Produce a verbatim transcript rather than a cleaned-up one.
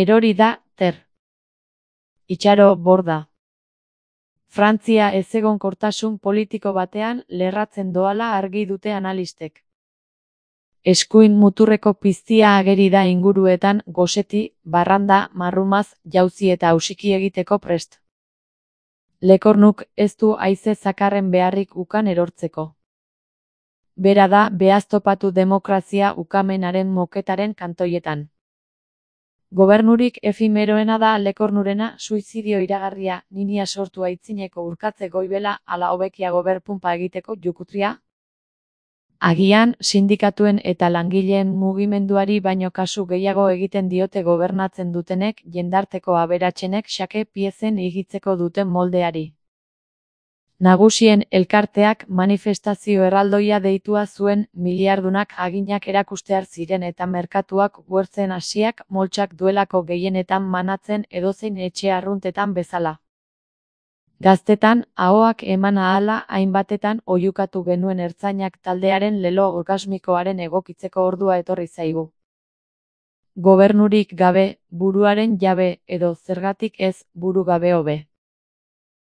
Erori da, ter. Itxaro borda. Frantzia ezegonkortasun politiko batean lerratzen doala argi dute analistek. Eskuin muturreko piztia ageri da inguruetan goseti, barranda, marrumaz, jauzi eta hausiki egiteko prest. Lekornuk ez du haize zakarren beharrik ukan erortzeko. Bera da behaztopatu demokrazia ukamenaren moketaren kantoietan. Gobernurik efimeroena da Lekornurena suizidio iragarria, ninia sortu aitzineko urkatze goibela ala hobekia goberpunpa egiteko jukutria. Agian, sindikatuen eta langileen mugimenduari baino kasu gehiago egiten diote gobernatzen dutenek jendarteko aberatsenek xake piezen igitzeko duten moldeari. Nagusien elkarteak manifestazio erraldoia deitua zuen miliardunak aginak erakustear ziren eta merkatuak guertzen hasiak moltsak duelako gehienetan manatzen edozein etxe arruntetan bezala. Gaztetan, ahoak eman ahala hainbatetan oihukatu genuen ertzainak taldearen lelo orgasmikoaren egokitzeko ordua etorri zaigu. Gobernurik gabe, buruaren jabe, edo zergatik ez, buru gabe hobe.